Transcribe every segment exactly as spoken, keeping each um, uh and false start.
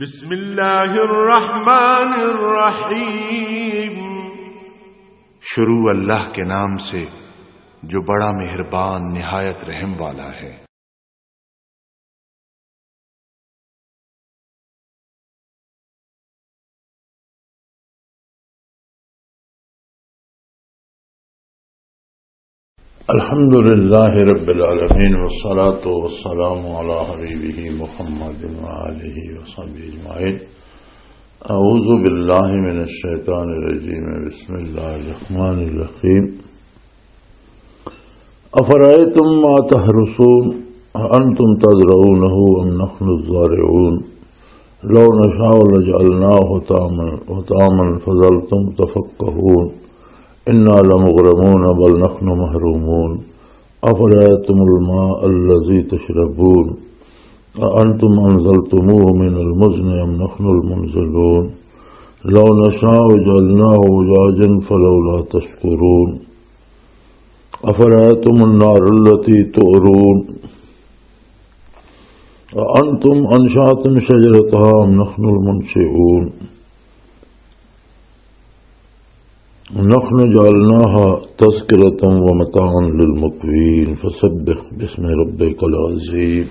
بسم اللہ الرحمن الرحیم۔ شروع اللہ کے نام سے جو بڑا مہربان نہایت رحم والا ہے۔ الحمد لله رب العالمين، والصلاة والسلام على حبيبه محمد وآله وصحبه أجمعين. أعوذ بالله من الشيطان الرجيم. بسم الله الرحمن الرحيم. أفرأيتم ما تحرثون أأنتم تزرعونه أم نحن الزارعون لو نشاء لجعلناه هطاما، هطاما فظلتم تفكهون إنا لمغرمون بل نحن محرومون. أفرأيتم الماء الذي تشربون أأنتم أنزلتموه من المزن أم نحن المنزلون لو نشاء جعلناه أجاجا فلولا تشكرون. أفرأيتم النار التي تؤرون أأنتم أنشأتم شجرتها أم نحن المنشئون نحن جعلناها تذكرة ومتاعا للمقوين فسبح باسم ربك العظيم.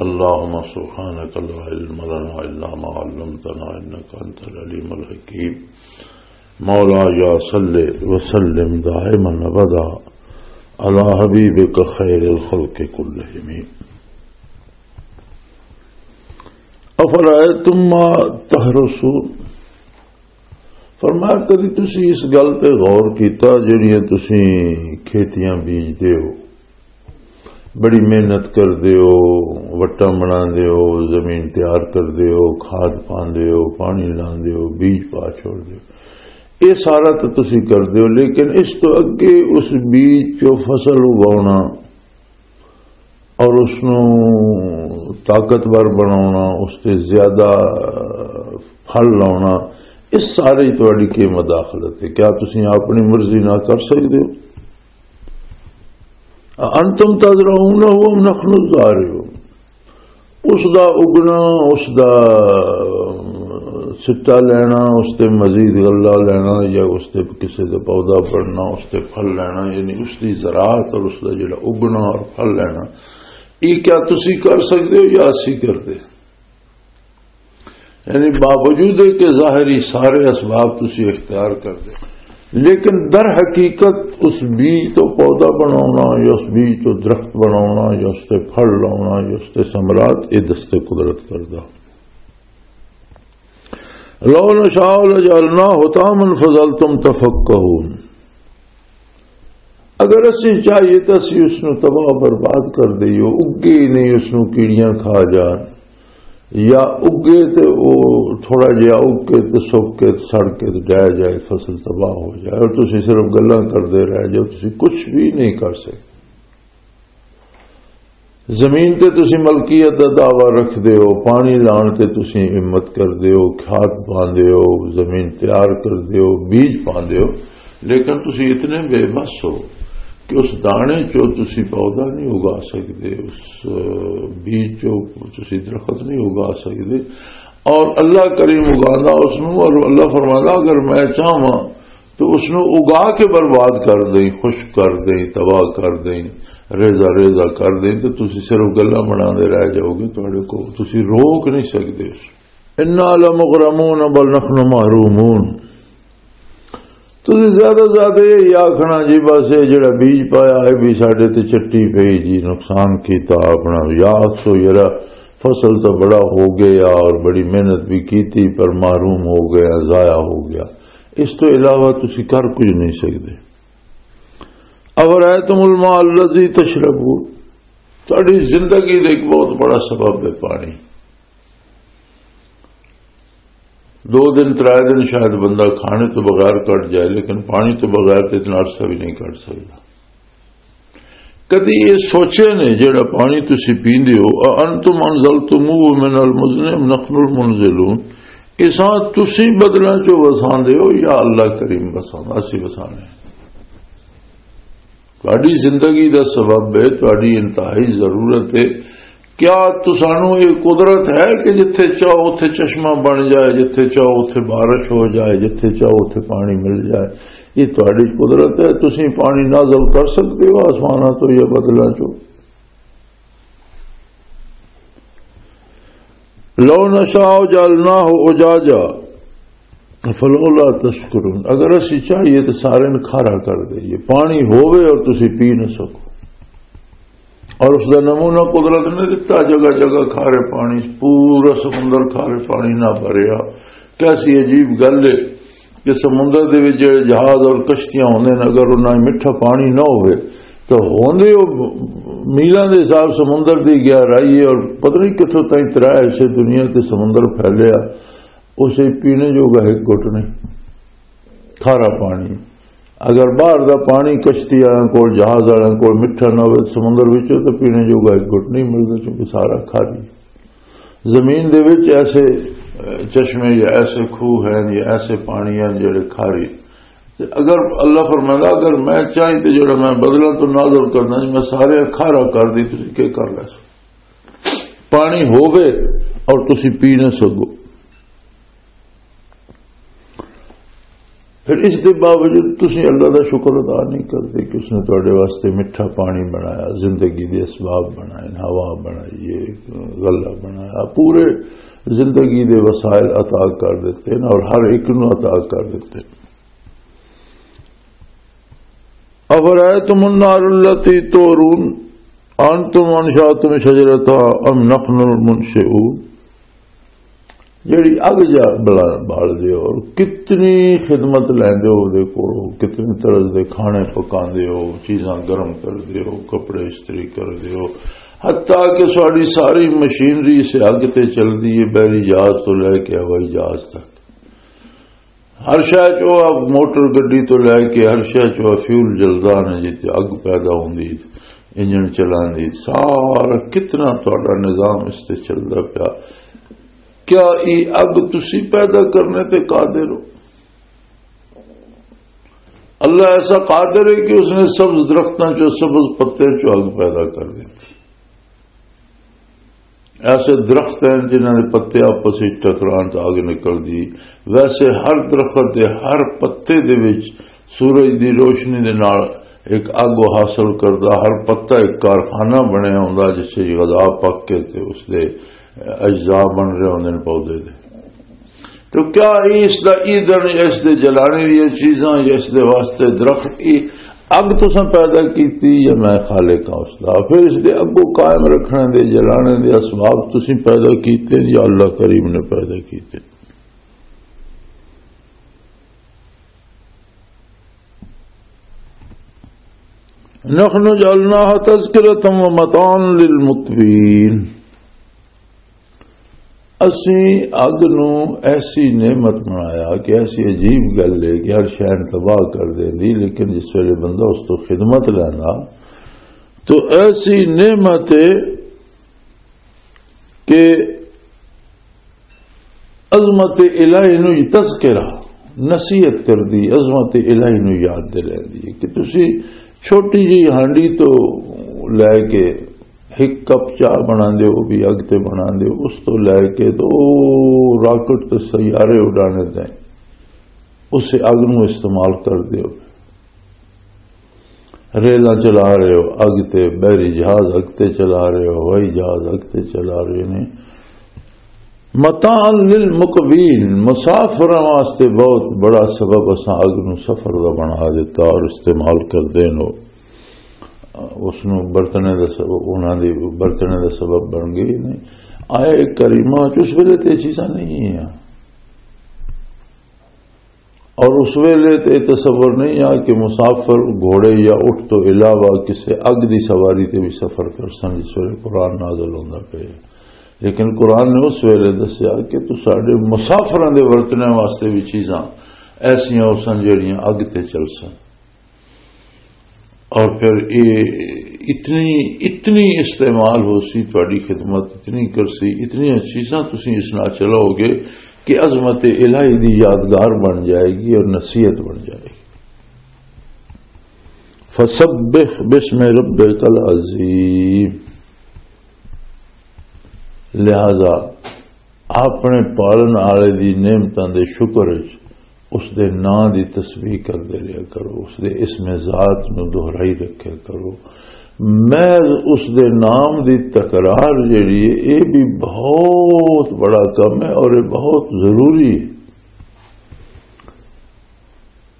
اللهم سبحانك لا علم لنا إلا ما علمتنا إنك أنت العليم الحكيم. مولاي صل وسلم دائما أبدا على حبيبك خير الخلق كلهم. أفرأيتم ما تحرثون. فرمایا، کدی تسی اس گل تے غور کیتا جڑیاں تسی کھیتیاں بیجدے ہو، بڑی محنت کردے ہو، وٹاں بناندے ہو، زمین تیار کردے ہو، کھاد پاندے ہو، پانی لاندے ہو، بیج پا چھوڑدے ہو، یہ سارا تو تسی کردے ہو، لیکن اس تو اگے اس بیج چوں فصل اگاونا اور اس نوں طاقتور بناونا، اس تے زیادہ پھل لاونا، اس سارے ہی تہاڈی کی مداخلت ہے؟ کیا تسی اپنی مرضی نہ کر سکدے ہو؟ انتم تزرعونه ام نحن الزارعون۔ اس دا اگنا، اس دا سٹا لینا، اس تے مزید غلہ لینا، یا اس تے کسے دا پودا بننا، اس تے پھل لینا، یعنی اس دی زراعت اور اس دا جڑا اگنا اور پھل لینا، یہ کیا تسی کر سکدے ہو یا اسی کردے؟ یعنی باوجود ہے کہ ظاہری سارے اسباب تسی اختیار کردے، لیکن در حقیقت اس بیج تو پودا بناونا یا اس بیج تو درخت بناونا یا اس تے پھل لاونا یا اس تے ثمرات، یہ دست قدرت کردا۔ لو نشاء لجعلناه هطاما فظلتم تفكهون۔ اگر اسی چاہیے تو اسی اس نو تباہ و برباد کر دئیو، اگے ہی نہیں، اس نو کیڑیاں کھا جان، یا اگے تے او تھوڑا جہا اگ کے تے سک کے تے سڑ کے تے ڈہ جائے، فصل تباہ ہو جائے اور تسی صرف گلاں کردے رہ جاؤ، تسی کچھ بھی نہیں کر سکتے۔ زمین تے تسی ملکیت دا دعویٰ رکھدے ہو، پانی لان تے تسی ہمت کردے ہو، کھاد پاندے ہو، زمین تیار کردے ہو، بیج پاندے ہو، لیکن تسی اتنے بے بس ہو کہ اس دانے چو تسی پودا نہیں اگا سکدے، اس، آ، بیج چو تسی درخت نہیں اگا سکدے۔ اور اللہ کریم اگاندا اس نوں، اور اللہ فرماندا، اگر میں چاہواں تو اس نوں اگا کے برباد کر دیں، خشک کر دیں، تباہ کر دیں، ریزہ ریزہ کر دیں، تو تسی صرف گلاں بنا دے رہ جاؤ گے، تہاڈے کو تسی روک نہیں سکدے۔ انا لمغرمون بل نحن محرومون۔ تسی زیادہ زیادہ یہ آکھنا جی بس یہ جڑا بیج پایا ہے بھی ساڈے تے چٹی پئی جی، نقصان کیتا اپنا، یا سو یرا فصل تو بڑا ہو گیا اور بڑی محنت بھی کیتی پر محروم ہو گیا، ضائع ہو گیا۔ اس تو علاوہ تسی کر کچھ نہیں سکدے۔ افرأیتم الماء الذی تشربون، تہاڈی زندگی دا ایک بہت بڑا سبب ہے پانی۔ دو دن، ترے دن شاید بندہ کھانے تو بغیر کٹ جائے، لیکن پانی تو بغیر تو اتنا عرصہ بھی نہیں کٹ سکتا۔ کدی یہ سوچے نے جڑا پانی تسی پیندے ہو، اَأَنْتُمْ أَنْزَلْتُمُوهُ مِنَ الْمُزْنِ أَمْ نَحْنُ الْمُنْزِلُونَ؟ اساں تسی بدلاں چوں وساندے ہو یا اللہ کریم وساندا؟ اسی وسانے۔ تہاڈی زندگی دا سبب ہے، تہاڈی انتہائی ضرورت ہے۔ کیا تسانوں یہ قدرت ہے کہ جتھے چاہو اتھے چشمہ بن جائے، جتھے چاہو اتھے بارش ہو جائے، جتھے چاہو اتھے پانی مل جائے؟ یہ تہاڈی قدرت ہے، تسی پانی نازل کر سکتے ہو آسماناں تو یا بدلاں چوں؟ لو نشاء جعلناہ اجاجا فلولا تشکرون، اگر اسی چاہیے تو سارے نوں کھارا کر دئیے، پانی ہووے اور تسی پی نہ سکو۔ اور اس دا نمونہ قدرت نے دتا، جگہ جگہ کھارے پانی، پورا سمندر کھارے پانی نہ بھریا۔ کیسی عجیب گل ہے کہ سمندر دے وچ جڑے جہاز اور کشتیاں ہوندے نے، اگر انہاں وچ مٹھا پانی نہ ہوئے تو ہوندے او میلاں دے حساب سمندر دی گہرائی ہے، اور پتہ نہیں کتھوں تائیں ترا ایسے دنیا تے سمندر پھیلیا، اسے پینے جوگا ایک گھٹ نہیں، کھارا پانی۔ اگر باہر دا پانی کشتی والوں کول، جہاز والوں کول مٹھا نہ ہوئے، سمندر وچوں تے پینے جوگا ایک گھٹ نہیں ملدا، کیونکہ سارا کھاری۔ زمین دے وچ ایسے، اے، چشمے یا ایسے کھوہ ہیں یا ایسے پانی ہیں جڑے کھاری۔ تے اگر اللہ فرمائے گا، اگر میں چاہی تے جڑا میں بدلاں تو نازل کرنا جی، میں سارے کھارا کر دی، تسی کی کر لے سو؟ پانی ہووے اور تسی پی نہ سکو۔ پھر اس دے باوجود تسی اللہ دا شکر ادا نہیں کرتے کہ اس نے تواڈے واسطے مٹھا پانی بنایا، زندگی دے اسباب بنائے، ہوا بنائی، یہ غلہ بنایا، پورے زندگی دے وسائل عطا کر دیتے ہیں اور ہر ایک نو عطا کر دیتے ہیں۔ افرأیتم النار التی تورون انتم انشأتم شجرتها ام نحن المنشئون، جڑی اگ جا بلا-، بال دے ہو اور کتنی خدمت لیندے ہو دے کولوں، کتنی طرز دے کھانے پکاندے ہو، چیزاں گرم کر دے ہو، کپڑے استری کر دے ہو، حتیٰ کہ ساری ساری مشینری اسے اگ تے چل دی ہے، بحری جہاز تو لے کے ہوائی جہاز تک۔ ہر شے چ او موٹر گڈی تو لے کے ہر شے چ او فیول جلدا نے، جت اگ پیدا ہوندی، انجن چلاندی، سارا کتنا تہاڈا نظام اس تے چلدا پیا۔ کیا ای اگ تسی پیدا کرنے تے قادر ہو؟ اللہ ایسا قادر ہے کہ اس نے سبز درختاں چوں، سبز پتے چوں اگ پیدا کر دیتی۔ ایسے درخت ہیں جنہاں دے پتے آپس وچ ٹکران تے اگ نکل دی۔ ویسے ہر درخت دے ہر پتے دے وچ سورج دی روشنی دے نال ایک اگ حاصل کردا۔ ہر پتا ایک کارخانہ بنیا ہوندا جس وچ غذا پک کے تے اس دے اجزاء بن رہے ہوندے نے پودے دے۔ تو کیا اس دا ایندھن یا اس دے جلانے دی چیزاں یا اس دے واسطے درخت، یہ اگ تساں پیدا کیتی یا میں خالق ہاں اس دا؟ پھر اس دے اگوں قائم رکھنے دے، جلانے دے اسباب تسیں پیدا کیتے یا اللہ کریم نے پیدا کیتے؟ نحن جعلناها تذکرة ومتاعا للمقوین۔ اسی اگ نو ایسی نعمت بنایا کہ ایسی عجیب گل ہے کہ ہر شے نوں تباہ کر دیندی، لیکن جس ویلے بندہ اس تو خدمت لیندا تو ایسی نعمت ہے کہ عظمت الہی نو تذکرہ، نصیحت کر دی، عظمت الہی نو یاد دلائی دی کہ تسی چھوٹی جی ہانڈی تو لے کے ایک کپ چاہ بنا دے ہو، بھی اگ تے بنا دے ہو، اس تو لے کے تو راکٹ تے سیارے اڈانے تائیں اسے اگ نو استعمال کر دے ہو۔ ریلاں چلا رہے ہو اگ تے، بحری جہاز اگ تے چلا رہے ہو، ہوائی جہاز اگ تے چلا رہے نے۔ متاعا للمقوین، مسافراں واسطے بہت بڑا سبب اساں اگ نو سفر دا بنا دیتا اور استعمال کردے نو۔ اس نو برتنے دا سبب، انہاں دی برتنے دا سبب بن گئی نے۔ آیا کریمہ چ اس ویلے تے یہ چیزاں نہیں ہیں۔ اور اس ویلے تے تصور نہیں آ کہ مسافر گھوڑے یا اٹھ تو علاوہ کسے اگ دی سواری تے بھی سفر کر سن، جس ویلے قرآن نازل ہوندا پیا۔ لیکن قرآن نے اس ویلے دسیا کہ تو ساڈے مسافراں دے ورتنے واسطے بھی چیزاں ایسیاں ہو سن جڑیاں اگ تے چل سن۔ اور پھر یہ اتنی، اتنی استعمال ہو سی، تہاڈی خدمت اتنی کر سی، اتنی چیزاں تسی اس نال چلاؤ گے کہ عظمت الہی دی یادگار بن جائے گی اور نصیحت بن جائے گی۔ فسبح باسم ربک العظیم۔ لہذا اپنے پالن والے دی نعمتاں دے شکر وچ اس دے ناں دی تسبیح کردے رہیا کرو، اس دے اسم ذات نو دہرائی رکھیا کرو۔ محض اس دے نام دی تکرار جڑی ہے، یہ بھی بہت بڑا کم ہے اور یہ بہت ضروری ہے۔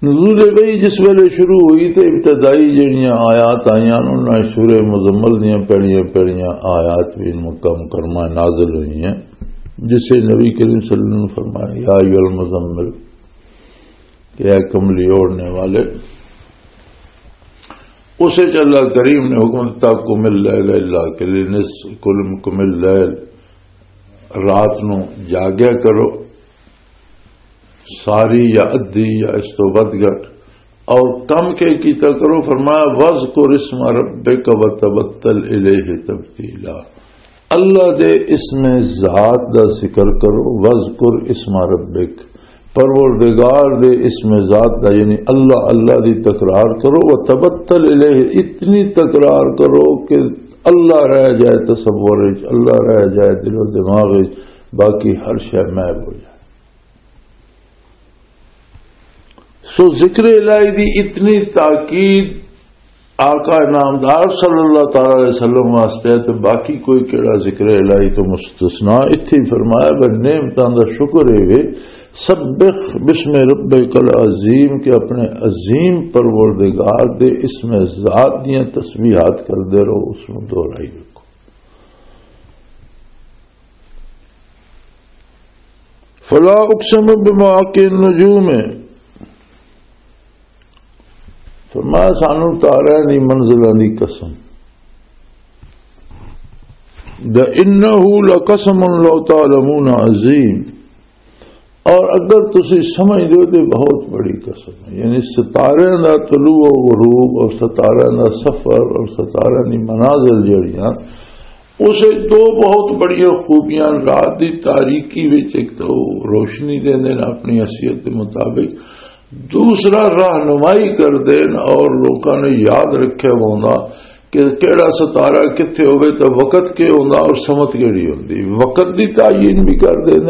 نزول وحی جس ویلے شروع ہوئی تے ابتدائی جڑیاں آیات آئیاں، انہاں سورہ مزمل دیاں پہلیاں پہلیاں آیات بھی مکم کرما نازل ہوئی ہیں، جسے نبی کریم صلی اللہ علیہ وسلم نے فرمایا، یا ایھا المزمل، کہ اے کملی اوڑھنے والے۔ اسے چ اللہ کریم نے حکم دیتا، قم اللیل الا قلیلا، نصف، قم، قم اللیل، رات نو جاگیا کرو، ساری یا ادھی یا اس تو ودھ گھٹ، اور کم کے کیتا کرو۔ فرمایا، وذکر اسم ربک وتبتل الیہ تبتیلا، اللہ دے اسم ذات دا ذکر کرو، وذکر اسم ربک، پروردگار دے اسم ذات دا، یعنی اللہ، اللہ دی تکرار کرو، وتبتل الیہ، اتنی تکرار کرو کہ اللہ رہ جائے تصور وچ، اللہ رہ جائے دل و دماغ وچ، باقی ہر شے محو ہو جائے۔ سو ذکر الہی دی اتنی تاکید آقا نامدار صلی اللہ تعالی علیہ وسلم واسطے ہے، تو باقی کوئی کیڑا ذکر الہی تو مستثنا؟ اتھے ہی فرمایا، بھئی نعمتاں دا شکر ہے وے، سبح باسم ربک العظیم، کہ اپنے عظیم پروردگار دے اسم ذات دیاں تسبیحات کردے رہو، اس نوں دہرائی رکھو۔ فلا اقسم بمواقع النجوم، فرمایا سانو تارے دی منزلوں دی قسم، دا انہ لقسم لو تعلمون عظیم، اور اگر تسی سمجھ دو تو بہت بڑی قسم ہے، یعنی ستارے دا طلوع و غروب اور ستارے دا سفر اور ستارے دی منازل جڑیاں، اسے دو بہت بڑیاں خوبیاں، رات دی تاریکی وچ ایک تو روشنی دے دین اپنی حیثیت دے مطابق، دوسرا رہنمائی کر دین اور لوکاں نے یاد رکھے ہونا کہ کیڑا ستارہ کتھے ہوئے تو وقت کے ہونا اور سمت کیڑی ہوندی، وقت دی تعین بھی کر دین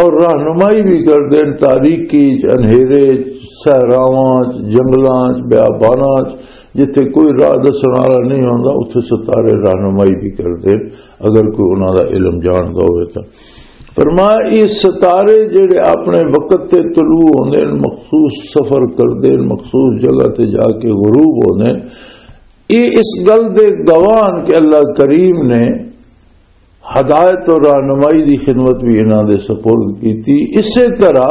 اور رہنمائی بھی کر دین، تاریکی چ، انہیرے چ، صحراواں چ، جنگلاں چ، بیاباناں چ، جتھے کوئی راہ دسن والا نہیں ہوندا، اتھے ستارے رہنمائی بھی کردے، اگر کوئی انہاں دا علم جاندا ہوئے تاں۔ فرمایا، یہ ستارے جڑے اپنے وقت تے طلوع ہوندے نے، مخصوص سفر کردے نے، مخصوص جگہ تے جا کے غروب ہوندے نے، یہ اس گل دے گواہ ہن کہ اللہ کریم نے ہدایت اور رہنمائی دی خدمت بھی انہاں دے سپرد کیتی۔ اسی طرح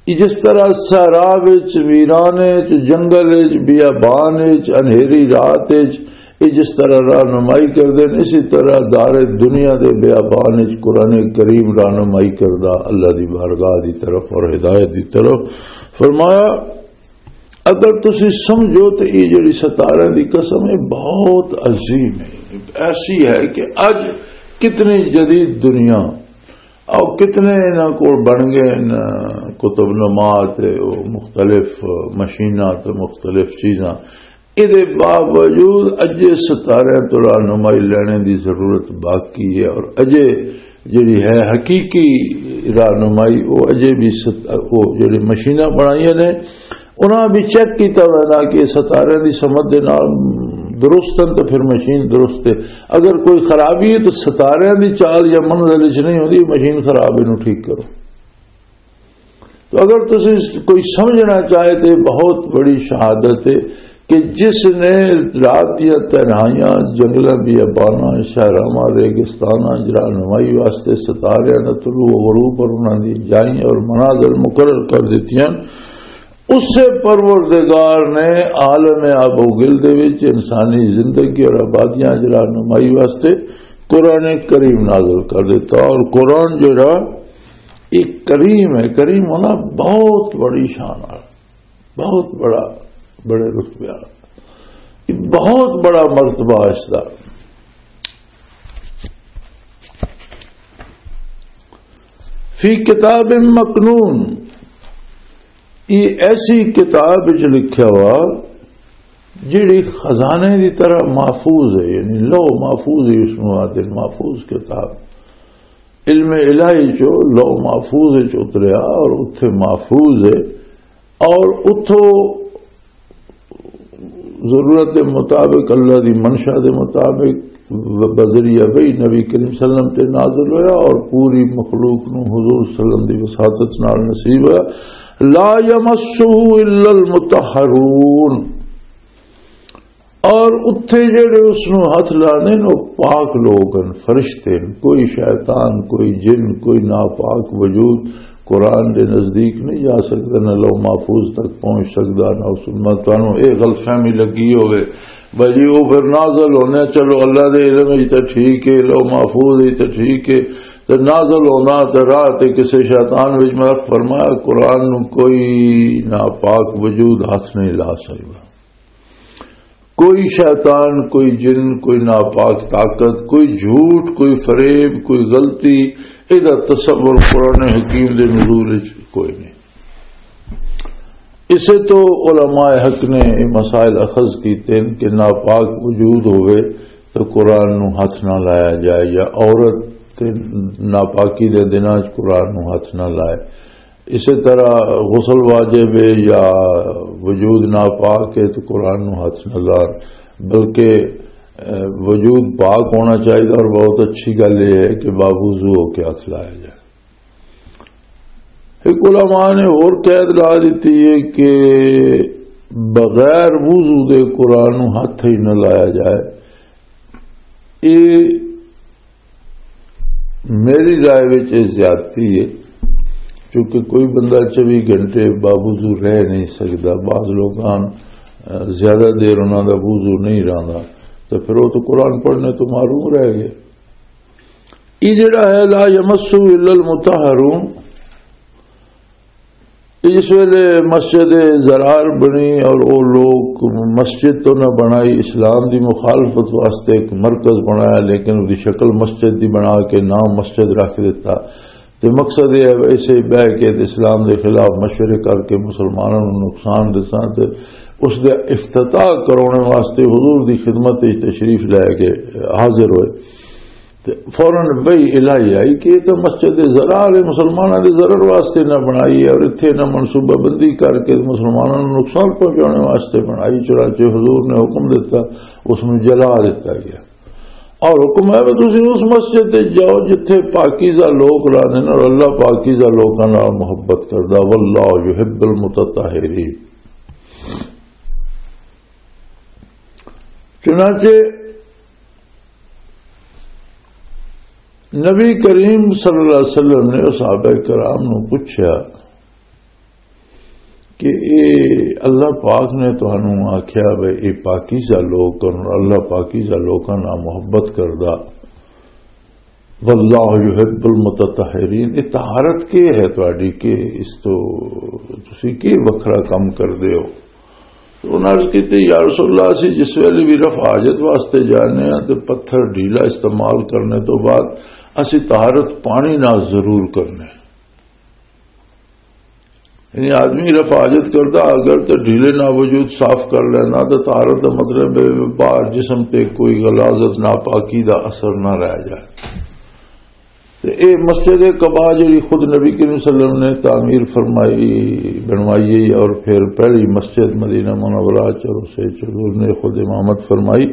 جس طرح صحرا وچ، ویرانے وچ، جنگل وچ، بیابان وچ، انہیری رات وچ، یہ جس طرح رہنمائی کردے نے، اسی طرح دار دنیا دے بیابان وچ قرآن کریم رہنمائی کردا، اللہ دی بارگاہ دی طرف اور ہدایت دی طرف۔ فرمایا، اگر تسی سمجھو تو یہ جڑی ستارے دی قسم ہے، بہت عظیم ہے، ایسی ہے کہ اج کتنی جدید دنیا اور کتنے انہاں کول بن گئے نے قطب نما تے او مختلف مشیناں تے مختلف چیزاں، اے دے باوجود اجے ستارے تو رہنمائی لینے دی ضرورت باقی ہے، اور اجے جڑی ہے حقیقی رہنمائی، وہ اجے بھی ست-، وہ جڑی مشیناں بنائیاں نے، انہاں بھی چیک کیتا ہویا نا کہ ستارے دی سمجھ دے نال درست ہیں تو پھر مشین درست ہے۔ اگر کوئی خرابی ہے تو ستارے دی چال یا منزل وچ نہیں ہوندی، مشین خراب، اینوں ٹھیک کرو۔ تو اگر تسی کوئی سمجھنا چاہے تو یہ بہت بڑی شہادت ہے کہ جس نے رات دیا تنہائیاں، جنگلاں، بیاباناں، شہراں، ریگستاناں، رہنمائی واسطے ستاریاں دا طلوع و غروب اور انہاں دی جائیں اور منازل مقرر کر دتیاں، اسے پروردگار نے عالم آب و گل دے وچ انسانی زندگی اور آبادیاں دی رہنمائی واسطے قرآن کریم نازل کر دیتا۔ اور قرآن جڑا ایک کریم ہے، کریم ہونا بہت بڑی شان والا، بہت بڑا، بڑے رتبے والا، یہ بہت بڑا مرتبہ اس دا۔ فی کتاب مکنون، یہ ایسی کتاب وچ لکھا ہوا جڑی خزانے دی طرح محفوظ ہے، یعنی لوح محفوظ ہے، اس نوں آدھے محفوظ کتاب۔ علم الہی چو لوح محفوظ وچ اتریا اور اتھے محفوظ ہے، اور اتھوں ضرورت دے مطابق، اللہ دی منشا دے مطابق، بذریعہ وحی نبی کریم صلی اللہ علیہ وسلم تے نازل ہویا اور پوری مخلوق نو حضور صلی اللہ علیہ وسلم دی وساطت نال نصیب ہویا۔ لا یمسہ الا المطہرون۔ اور اتھے جڑے اس نو ہاتھ لانے نے، وہ پاک لوگ ہیں، فرشتے ہیں۔ کوئی شیطان، کوئی جن، کوئی ناپاک وجود قرآن دے نزدیک نہیں جا سکدا، نہ لوح محفوظ تک پہنچ سکدا، نہ اس میں تانوں اے غلط فہمی لگی ہوئے، بھائی جی، وہ پھر نازل ہونے، چلو، اللہ دے علم وچ تے ٹھیک ہے، لوح محفوظ وچ تے ٹھیک ہے، تے نازل ہونا تے راہ تے کسے شیطان وچ، میں فرمایا، قرآن نو کوئی ناپاک وجود ہاتھ نہیں لا سکدا۔ کوئی شیطان، کوئی جن، کوئی ناپاک طاقت، کوئی جھوٹ، کوئی فریب، کوئی غلطی، ایہدا تصور قرآن حکیم دے نزول وچ کوئی نہیں۔ اسے تو علماء حق نے یہ مسائل اخذ کیتے ہیں کہ ناپاک وجود ہوئے تو قرآن نو ہاتھ نہ لایا جائے، یا عورت تے ناپاکی دے دناں وچ قرآن نو ہاتھ نہ لائے۔ اسی طرح غسل واجب ہے یا وجود ناپاک ہے تو قرآن نو ہاتھ نہ لان، بلکہ، اے، وجود پاک ہونا چاہیے۔ اور بہت اچھی گل یہ ہے کہ باوضو ہو کے ہاتھ لایا جائے۔ ایک علماء نے اور قید لا دیتی ہے کہ بغیر وضو دے قرآن نو ہاتھ ہی نہ لایا جائے۔ یہ میری رائے وچ یہ زیادتی ہے، کیونکہ کوئی بندہ چوبی گھنٹے باوضو رہ نہیں سکدا۔ بعض لوکاں، اہ، زیادہ دیر انہاں دا وضو نہیں رہندا، تو پھر وہ تو قرآن پڑھنے تو محروم رہ گئے۔ یہ جڑا ہے، لا یمسہ الا المطہرون، جس ویلے مسجد ضرار بنی اور وہ لوگ مسجد تو نہ بنائی، اسلام دی مخالفت واسطے ایک مرکز بنایا، لیکن اس دی شکل مسجد دی بنا کے نام مسجد رکھ دیتا۔ تے مقصد یہ ہے، ایسے ہی بہ کے تے اسلام دے خلاف مشورے کر کے مسلمانوں نوں نقصان دساں تے اس دے افتتاح کرانے واسطے حضور دی خدمت وچ تشریف لے کے حاضر ہوئے۔ تے فوراً وحی الہی آئی کہ یہ تو مسجد ضرار ہے، مسلمانوں دے ضرر واسطے نہ بنائی ہے، اور اتھے نہ منصوبہ بندی کر کے مسلمانوں نوں نقصان پہنچانے واسطے بنائی۔ چنانچہ حضور نے حکم دیتا، اس نوں جلا دیتا گیا۔ اور حکم ہے کہ تسی اس مسجد تے جاؤ جتھے پاکیزہ لوگ رہندے نے، اور اللہ پاکیزہ لوکاں نال محبت کردا، واللہ یحب المتطہرین۔ چنانچہ نبی کریم صلی اللہ علیہ وسلم نے صحابہ کرام نو پوچھا کہ اے اللہ پاک نے تانوں آکھیا وے، اے پاکیزہ لوگ ہن، اللہ پاکیزہ لوکاں نال محبت کردا، واللہ یحب المتطہرین، اے طہارت کی ہے تہاڈی؟ کہ اس تو تسی کی وکھرا کم کردے ہو؟ تو انہاں عرض کیتی، یا رسول اللہ، اسی جس ویلے بھی رفع حاجت واسطے جانے ہاں تے پتھر ڈھیلا استعمال کرنے تو بعد اسی طہارت پانی نال ضرور کرنے۔ یعنی آدمی رفع حاجت کردا، اگر تے ڈھیلے نال وجود صاف کر لینا، تے طہارت دا مطلب ہے باہر جسم تے کوئی غلاظت، ناپاکی دا اثر نہ رہ جائے۔ تے اے مسجد قباء جڑی خود نبی کریم صلی اللہ علیہ وسلم نے تعمیر فرمائی، بنوائی، اور پھر پہلی مسجد مدینہ منورہ چ، اور اسے چ حضور نے خود امامت فرمائی،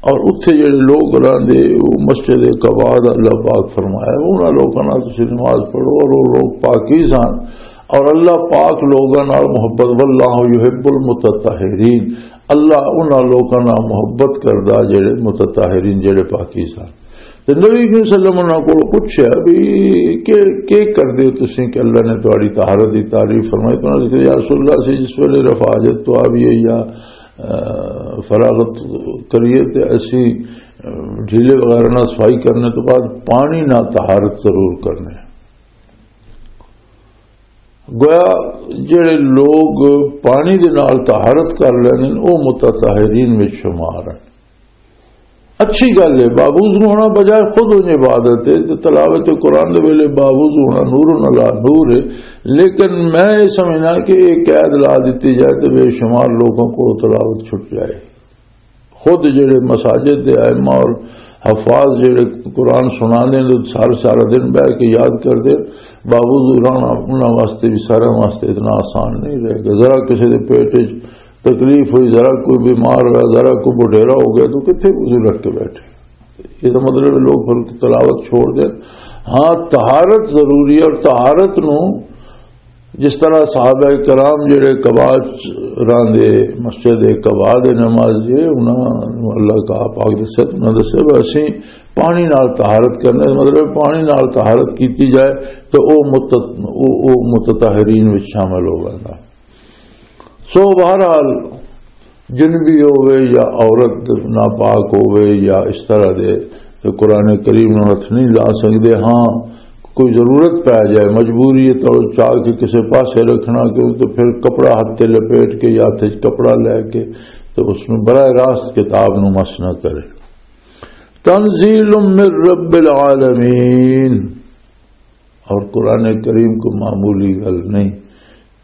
اور اتھے جڑے لوگ رہندے، وہ مسجد قباء دا اللہ پاک فرمایا، انہاں لوکاں نال تسی نماز پڑھو، اور وہ لوگ پاکیز ہن، اور اللہ پاک لوگاں نال محبت، واللہ یحب المتطہرین، اللہ انہاں لوکاں نال محبت کردا جڑے متطہرین، جڑے پاکیز ہن۔ تے نبی کریم صلی اللہ علیہ وسلم انہاں کولوں پوچھیا بھی کہ، کی کردے ہو تسی کہ اللہ نے تہاڈی طہارت دی تعریف فرمائی؟ تو انہاں نے کہا، یا رسول اللہ، اسی جس ویلے رفع حاجت تو آ بھی ہے یا، آ، فراغت کریے تے اسی، آ، ڈھیلے وغیرہ نال صفائی کرنے تو بعد پانی نال طہارت ضرور کرنے۔ گویا جڑے لوگ پانی دے نال طہارت کر لیندے نے، او متطہرین وچ شمار ہیں۔ اچھی گل ہے، باوضو ہونا بجائے خود ان عبادت ہے۔ تو تلاوت قرآن دے ویلے باوضو ہونا نور علی نور ہے۔ لیکن میں یہ سمجھنا کہ یہ قید لا دیتی جائے تو بے شمار لوگوں کو تلاوت چھٹ جائے۔ خود جڑے مساجد دے ائمہ اور حفاظ جڑے قرآن سنا دے، سارا سارا دن بہ کے یاد کر دے، باوضو رہنا انہاں واسطے بھی، سارے واسطے اتنا آسان نہیں رہے گا۔ ذرا کسی دے پیٹ وچ تکلیف ہوئی، ذرا کوئی بیمار ہوا، ذرا کوئی بڈھیرا ہو گیا، تو کتنے وضو رکھ کے بیٹھے؟ یہ تو مطلب ہے لوگ پھر تلاوت چھوڑ دیں۔ ہاں، طہارت ضروری ہے، اور طہارت نو جس طرح صحابہ کرام جڑے قبا چ راندے، مسجد قبا دے نماز جے، انہاں نو اللہ کا پاک دسے، انہاں دسے، "بس اسی پانی نال طہارت کرنے۔" مطلب پانی نال طہارت کیتی جائے تو او مت-، او، او متطہرین وچ شامل ہو ویندا۔ سو بہرحال، جنبی ہووے یا عورت ناپاک ہووے یا اس طرح دے، تو قرآن کریم نوں ہتھ نہیں لا سکدے۔ ہاں، کوئی ضرورت پے جائے، مجبوری ہے، تو چاہ کے کسے پاسے رکھنا، کیوں تو پھر کپڑا ہتھ تے لپیٹ کے یا ہتھ وچ کپڑا لے کے تو اس نوں براہ راست کتاب نوں مس نہ کرے۔ تنزیل من رب العالمین۔ اور قرآن کریم کو معمولی گل نہیں،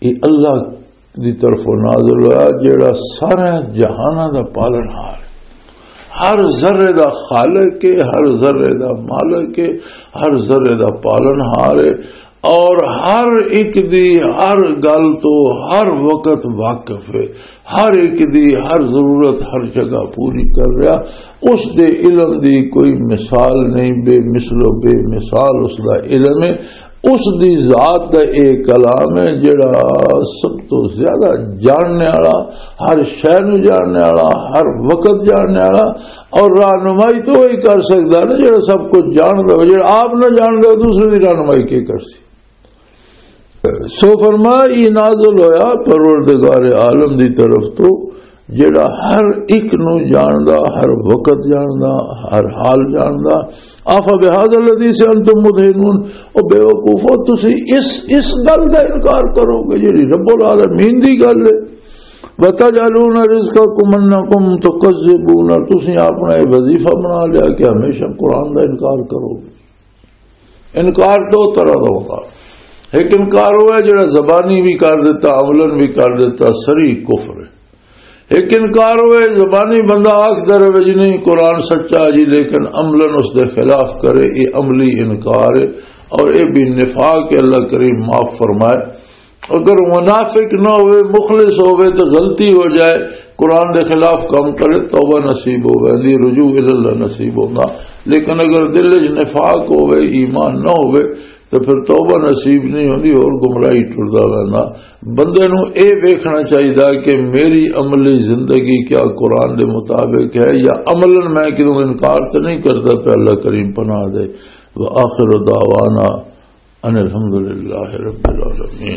یہ اللہ دی طرفوں نازل ہوا، جڑا سارے جہاناں دا پالن ہار ہے۔ ہر ذرے دا خالق ہے، ہر ذرے دا مالک ہے، ہر ذرے دا پالن ہار ہے، اور ہر ایک دی ہر گل تو ہر وقت واقف ہے۔ ہر ایک دی ہر ضرورت ہر جگہ پوری کر رہا۔ اس دے علم دی کوئی مثال نہیں، بے مثل و بے مثال اس دا علم ہے۔ اس دی ذات دا ایک کلام ہے جڑا سب تو زیادہ جاننے والا، ہر شے نوں جاننے والا، ہر وقت جاننے والا، اور رہنمائی تو وہی کر سکدا نا جڑا سب کچھ جاندا ہو۔ جڑا آپ نہ جاندا ہو، دوسرے دی رہنمائی کی کر سی؟ سو فرمایا، یہ نازل ہویا پروردگار عالم دی طرف تو، جڑا ہر ایک نو جاندا، ہر وقت جاندا، ہر حال جاندا۔ آفا بہذا الحدیث انتم مدہنون، او بے وقوفو، تسی اس، اس گل دا انکار کرو گے جڑی رب العالمین دی گل ہے؟ وتجعلون رزقکم انکم تکذبون، تسی اپنا یہ وظیفہ بنا لیا کہ ہمیشہ قرآن دا انکار کرو گے۔ انکار دو طرح دا ہوتا۔ ایک انکار وہ ہے جڑا زبانی بھی کر دیتا، عملاً بھی کر دیتا، سری کفر ہے۔ ایک انکار وہ ہے زبانی بندہ آکھ در وچ نہیں قرآن سچا جی، لیکن عملاً اس دے خلاف کرے، یہ عملی انکار ہے۔ اور یہ بھی نفاق ہے، اللہ کریم معاف فرمائے۔ اگر منافق نہ ہوئے، مخلص ہوئے تو غلطی ہو جائے، قرآن دے خلاف کام کرے، توبہ نصیب ہو ویندی، رجوع الی اللہ نصیب ہوندا۔ لیکن اگر دل وچ نفاق ہوئے، ایمان نہ ہوئے، تو پھر توبہ نصیب نہیں ہوندی، اور گمراہی ٹردا ویندا۔ بندے نوں اے ویکھنا چاہیدا کہ میری عملی زندگی کیا قرآن دے مطابق ہے یا عملاً میں کدوں انکار تے نہیں کردا پیا۔ اللہ کریم پناہ دے۔ وآخر دعوانا ان الحمدللہ رب العالمین۔